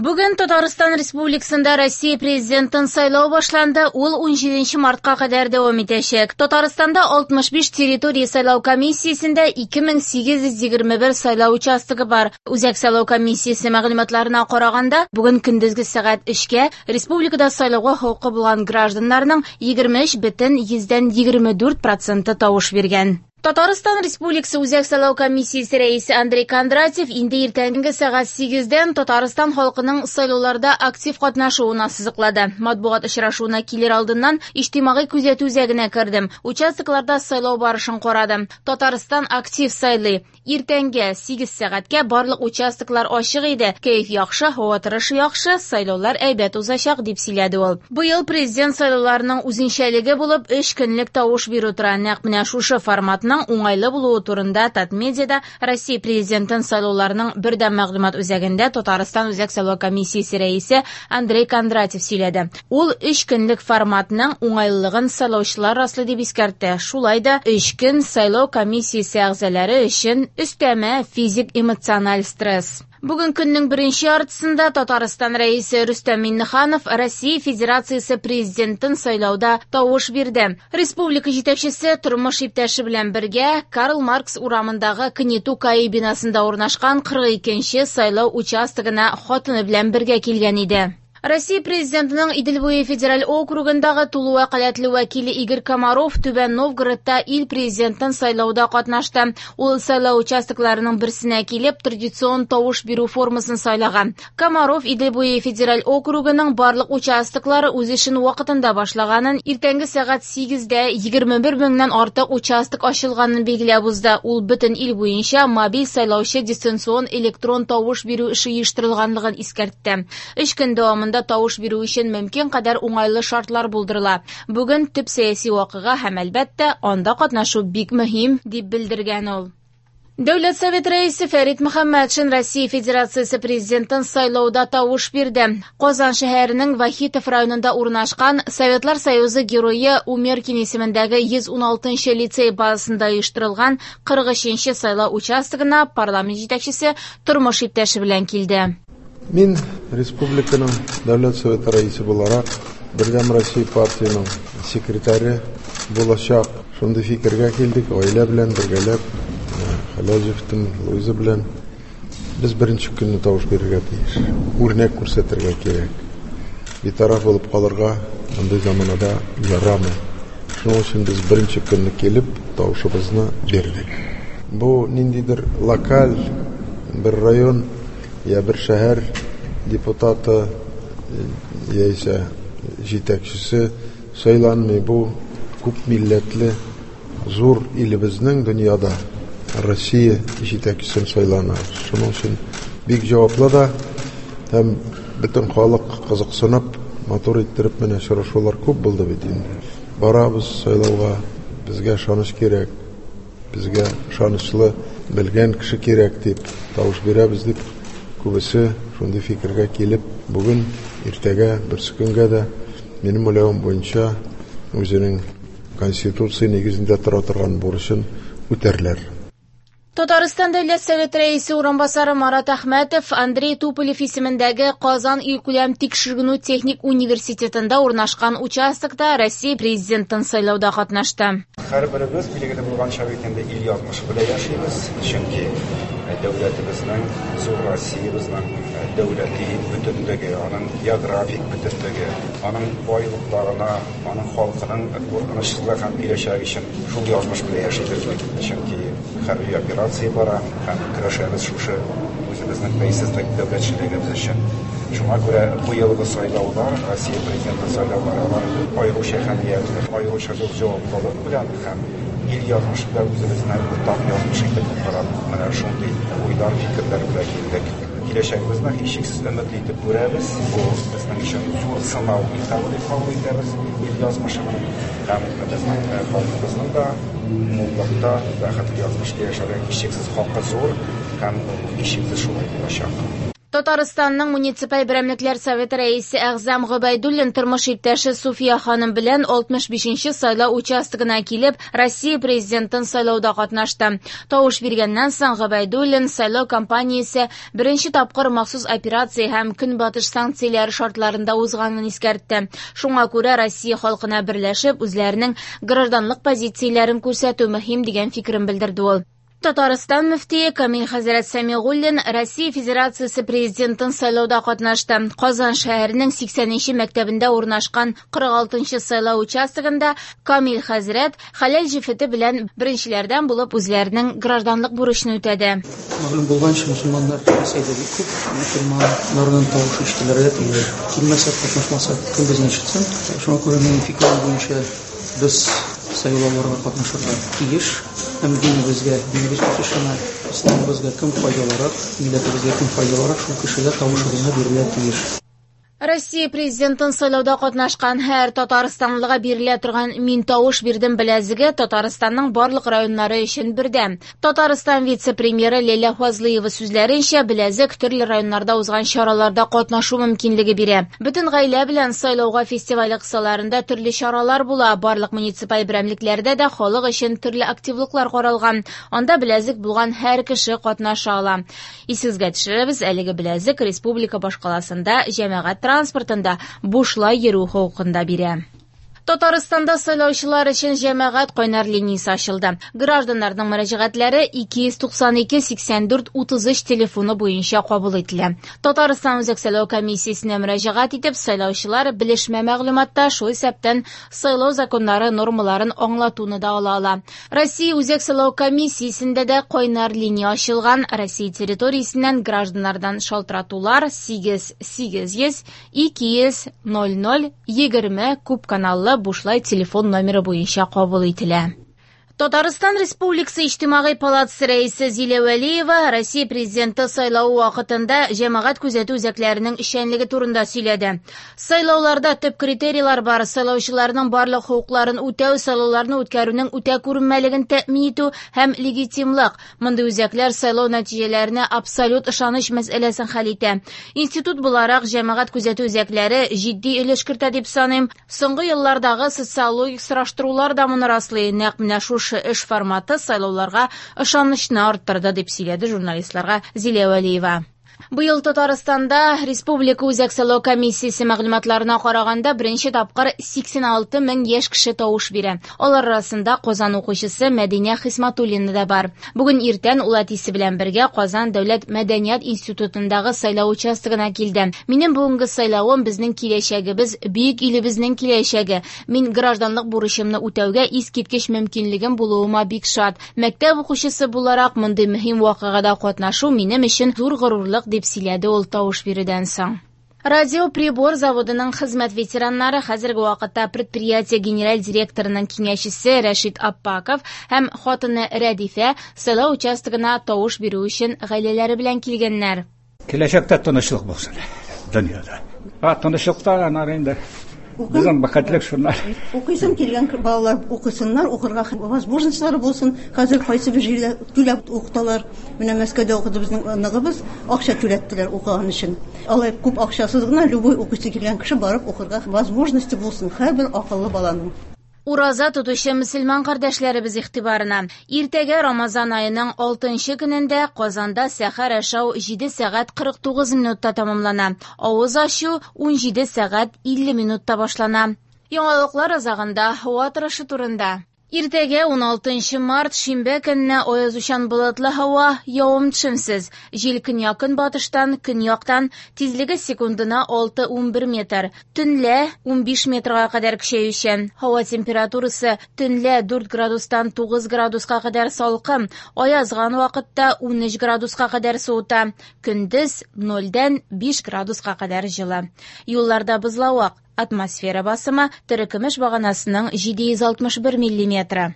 Бүген Татарстан Республикасында Россия президентын сайлау башланды. Ул 17 мартка кадәр дәвам итәчәк. Татарстанда 65 территория сайлау комиссиясендә 2821 сайлау участогы бар. Үзәк сайлау комиссиясе мәгълүматларына караганда, бүген көндезге сәгать 3-кә республикада сайлауга хокукы булган гражданнарның 23,24 проценты тавыш биргән. Татарстан Республикасы Үзәк сайлау комиссиясе рәисе Андрей Кондратьев инде иртәнге сәгать 8-дән Татарстан халкының сайлауларда актив катнашуын ассызыклады. Матбугат очрашуына килер алдыннан иҗтимагый күзәтү үзәгенә кердем. Участокларда сайлау барышын карадым. Татарстан актив сайлый. Иртәнге 8 сәгатькә барлык участоклар ачык иде. Кәеф яхшы, һава торышы яхшы, сайлаулар әйбәт узачак, дип сөйләде ул. Быел президент сайлауларының үзенчәлеге булып 3 көнлек тавыш бирү тора. Нәкъ менә шушы форматның уңайлы булуы турында Татмедиада Россия президентын сайлауларының бердәм мәгълүмат үзәгендә Татарстан Үзәк сайлау комиссиясе рәисе Андрей Кондратьев сөйләде. Ул 3 көнлек форматның уңайлылыгын сайлаучылар раслый дип искәртте. Шулай да 3 көн сайлау комиссиясе әгъзалары өчен өстәмә физик эмоциональ стресс. Бүген көннең беренче яртысында Татарстан рәисе Рөстәм Миңнеханов Россия Федерациясе президентын сайлауда тавыш бирде. Республика җитәкчесе тормыш иптәше белән бергә Карл Маркс урамындагы КНИТУ КАИ бинасында урнашкан 42нче сайлау участогына хатыны белән бергә килгән иде. Россия президентының Идел буе федераль округындагы тулы вәкаләтле вәкиле Игорь Комаров Түбән Новгородта ил президентын сайлауда катнашты. Ул сайлау участокларының берсенә килеп, традицион тавыш бирү формасын сайлаган. Комаров Идел буе федераль округының барлык участоклары үз эшен вакытында башлаганын, иртәнге сәгать 8-дә 21 меңнән артык участок ачылганын билгеләп узды. Ул бөтен ил буенча мобиль сайлаучы дистанцион электрон тавыш бирү эше оештырылганлыгын искәртте. 3 көн дәвамында тавыш бирү өчен мөмкин кадәр уңайлы шартлар булдырыла. Бүген төп сәяси вакыйга һәм әлбәттә анда катнашу бик мөһим, дип белдергән ул. Дәүләт Совет рәисе Фәрит Мөхәммәтшин Россия Федерациясе президентын сайлауда тавыш бирде. Казан шәһәренең Вахитов районында урнашкан Советлар Союзы герое Умеркин исемендәге 116 лицей базасында оештырылган 43 сайлау участогына парламент җитәкчесе тормыш иптәше белән килде. Мин республиканың Дәүләт Советы рәисе буларак, Бердәм Россия партияның секретаре булачак. Шундый фикергә килдек, гаилә белән бергәләп, хәләл җефетем Луиза белән без беренче көнне тавыш бирергә тиеш. Үрнәк күрсәтергә кирәк. Битараф булып калырга мондый заманада ярамый. Шуның өчен без беренче көнне килеп тавышыбызны бирдек. Бу ниндидер локаль бер район я бер шәһәр депутаты яисә җитәкчесе сайланмый. Бу күп милләтле зур илебезнең дөньяда Россия җитәкчесен сайлана. Шуның өчен бик җаваплы да һәм бөтен халык кызыксынып, матур иттереп менә очрашулар күп булды бит инде. Барабыз сайлауга, безгә ышаныч кирәк, безгә ышанычлы белгән кеше кирәк дип тавыш бирәбез дип күбесе шундый фикергә килеп, бүген, иртәгә, берсе көнгә дә минем уйлавым буенча үзенең Конституция нигезендә тора торган бурычын үтәрләр. Татарстан Дәүләт Советы рәисе урынбасары Марат Әхмәтов Андрей Туполев исемендәге Казан илкүләм тикшеренү техник университетында урнашкан участокта Россия президентын сайлауда катнашты. Һәр беребез билгеле булганча бит инде ил язмышы белән яшибез, чөнки дәүләтебезнең, зур Россиябезнең дәүләти бөтенлеге, аның географик бөтенлеге, аның байлыкларына, аның халкының куркынычсызлыгы һәм киләчәге өчен шул язмыш белән яшибез бит. Чөнки хәрби операция бара һәм көрәшәбез шушы үзебезнең бәйсезлек дәүләтчелегебез өчен. Шуңа күрә быелгы сайлаулар, Россия президенты сайлаулары, алар аеруча әһәмиятле, аеруча зур җаваплылык белән һәм ил язмышы белән үзебезне уртак язмыш итеп карап, менә шундый уйлар, фикерләр белән килдек. Киләчәгебезне һичшиксез өметле итеп күрәбез. Бу безнең өчен зур сынау этабы дип кабул итәбез ил язмышының һәм безнең халкыбызның да муллыкта, бәхетле язмышта яшәргә һичшиксез хакы зур һәм һичшиксез шулай булачак. Татарстанның муниципаль берәмлекләр советы рәисе Әгъзам Гобәйдуллин тормыш иптәше Суфия ханым белән 65нче сайлау участогына килеп, Россия президентын сайлауда катнашты. Тавыш биргәннән соң Гобәйдуллин сайлау кампаниясе беренче тапкыр махсус операция һәм көнбатыш санкцияләре шартларында узганын искәртте. Шуңа күрә Россия халкына берләшеп, үзләренең гражданлык позицияләрен күрсәтү мөһим дигән фикерен белдерде ул. Татарстан мөфтие Камил хәзрәт Сәмигуллин Россия Федерациясе президентын сайлауда катнашты. Казан шәһәренең 80нче мәктәбендә урнашкан 46нчы сайлау участогында Камил хәзрәт хәләл җефете белән беренчеләрдән булып үзләренең гражданлык бурычын үтәде. Мәгълүм булганча, мөселманнар Рәсәйдә бик күп, мөселманнарның тавышы ишетелергә тиеш. Килмәсә, катнашмаса, кем безне ишетсен? Шуңа күрә минем фикерем буенча без сайлауларга катнашырга тиеш. Һәм динебезгә, динебез үсешенә, исламыбызга кем файдалырак, милләтебезгә кем файдалырак, шул кешегә тавышыбызны бирергә тиеш. Россия президентын сайлауда катнашкан һәр татарстанлыга бирелә торган «Мин тавыш бирдем» беләзеге Татарстанның барлык районнары өчен бердәм. Татарстан вице-премьеры Ләйлә Фазлыева сүзләренчә, беләзек төрле районнарда узган чараларда катнашу мөмкинлеге бирә. Бөтен гаилә белән сайлауга фестивале кысаларында төрле чаралар була. Барлык муниципаль берәмлекләрдә дә халык өчен төрле активлыклар каралган. Анда беләзек булган һәр кеше катнаша ала. Исегезгә төшерәбез, әлеге беләзек республика башкаласында җәмәгать транспортында бушлай йөрү хокукын да бирә. Татарстанда сайлаучылар өчен җәмәгать кайнар линиясе ачылды. Гражданнарның мөрәҗәгатьләре 292 84 33 телефоны буенча кабул ителә. Татарстан Үзәк сайлау комиссиясенә мөрәҗәгать итеп, сайлаучылар белешмә мәгълүматта, шул исәптән сайлау законнары нормаларын аңлатуны да ала ала. Россия Үзәк сайлау комиссиясендә дә кайнар линия ачылган. Россия территориясеннән гражданнардан шалтыратулар 8 800 200 00 20 күп каналлы бушлай телефон номеры буенча кабул ителә. Татарстан Республикасы Иҗтимагый палатасы рәисе Зилә Вәлиева Россия президенты сайлавы вакытында җәмәгать күзәтү үзәкләренең эшчәнлеге турында сөйләде. Сайлауларда төп критерийлар бар: сайлаучыларның барлык хокукларын үтәү, сайлауларны үткәрүнең үтә күренмәлеген тәэмин итү һәм легитимлык. Мондый үзәкләр сайлау нәтиҗәләренә абсолют ышаныч мәсьәләсен хәл итә. Институт буларак җәмәгать күзәтү үзәкләре җитди өлеш кертә дип саныйм. Соңгы еллардагы социологик сораштырулар да моны раслый. Нәкъ менә шушы эш форматы сайлауларга ышанычны арттырды, дип сөйләде журналистларга Зилә Вәлиева. Быел Татарстанда Республика Үзәк сайлау комиссиясе мәгълүматларына караганда беренче тапкыр 86 мең яшь кеше тавыш бирә. Алар арасында Казан укучысы Мәдинә Хисматуллина да бар. Бүген иртән ул әтисе белән бергә Казан дәүләт мәдәният институтындагы сайлау участогына килде. Минем бүгенге сайлавым безнең киләчәгебез, бөек илебезнең киләчәге. Мин гражданлык бурычымны үтәүгә искиткеч мөмкинлегем булуыма бик шат. Мәктәп укучысы буларак мондый мөһим вакыйгада катнашу минем өчен зур горурлык, дип сөйләде ул тавыш бирүдән соң. Радиоприбор заводының хезмәт ветераннары хәзерге вакытта предприятие генераль директорының киңәшчесе Рәшит Аппаков һәм хатыны Рәдифә сайлау участогына тавыш бирү өчен гаиләләре белән килгәннәр. Киләчәктә тынычлык булсын дөньяда. Тынычлыкта анар инде. Безнең бәхетлек шуннар. Укыйсым килгән балалар укысыннар, укырга возможностьлары булсын. Хәзер кайсы бер җирдә түләп укыталар. Менә Мәскәүдә укыды безнең оныгыбыз, акча түләттеләр укыган өчен. Алай күп акчасыз гына любой укыйсы килгән кеше барып укырга возможности булсын һәрбер акыллы баланың. Ураза тотучы мөселман кардәшләребез игътибарына. Иртәгә Рамазан аеның 6нчы көнендә Казанда сәхәр ашау 7 сәгать 49 минутта тәмамлана. Авыз ачу 17 сәгать 50 минутта башлана. Яңалыклар азагында һава торышы турында. Иртәгә 16 март шимбә көнне аязучан болытлы һава, явым-төшемсез. Җил көньяк-көнбатыштан, көньяктан, тизлеге секундына 6-11 метр. Төнлә 15 метрга кадәр көчәючән. Һава температурасы төнлә 4 градустан 9 градуска кадәр салкын, аязган вакытта 13 градуска кадәр суыта. Көндез 0-дән 5 градуска кадәр җылы. Юлларда бозлавык. Атмосфера басымы терекөмеш баганасының 761 миллиметры.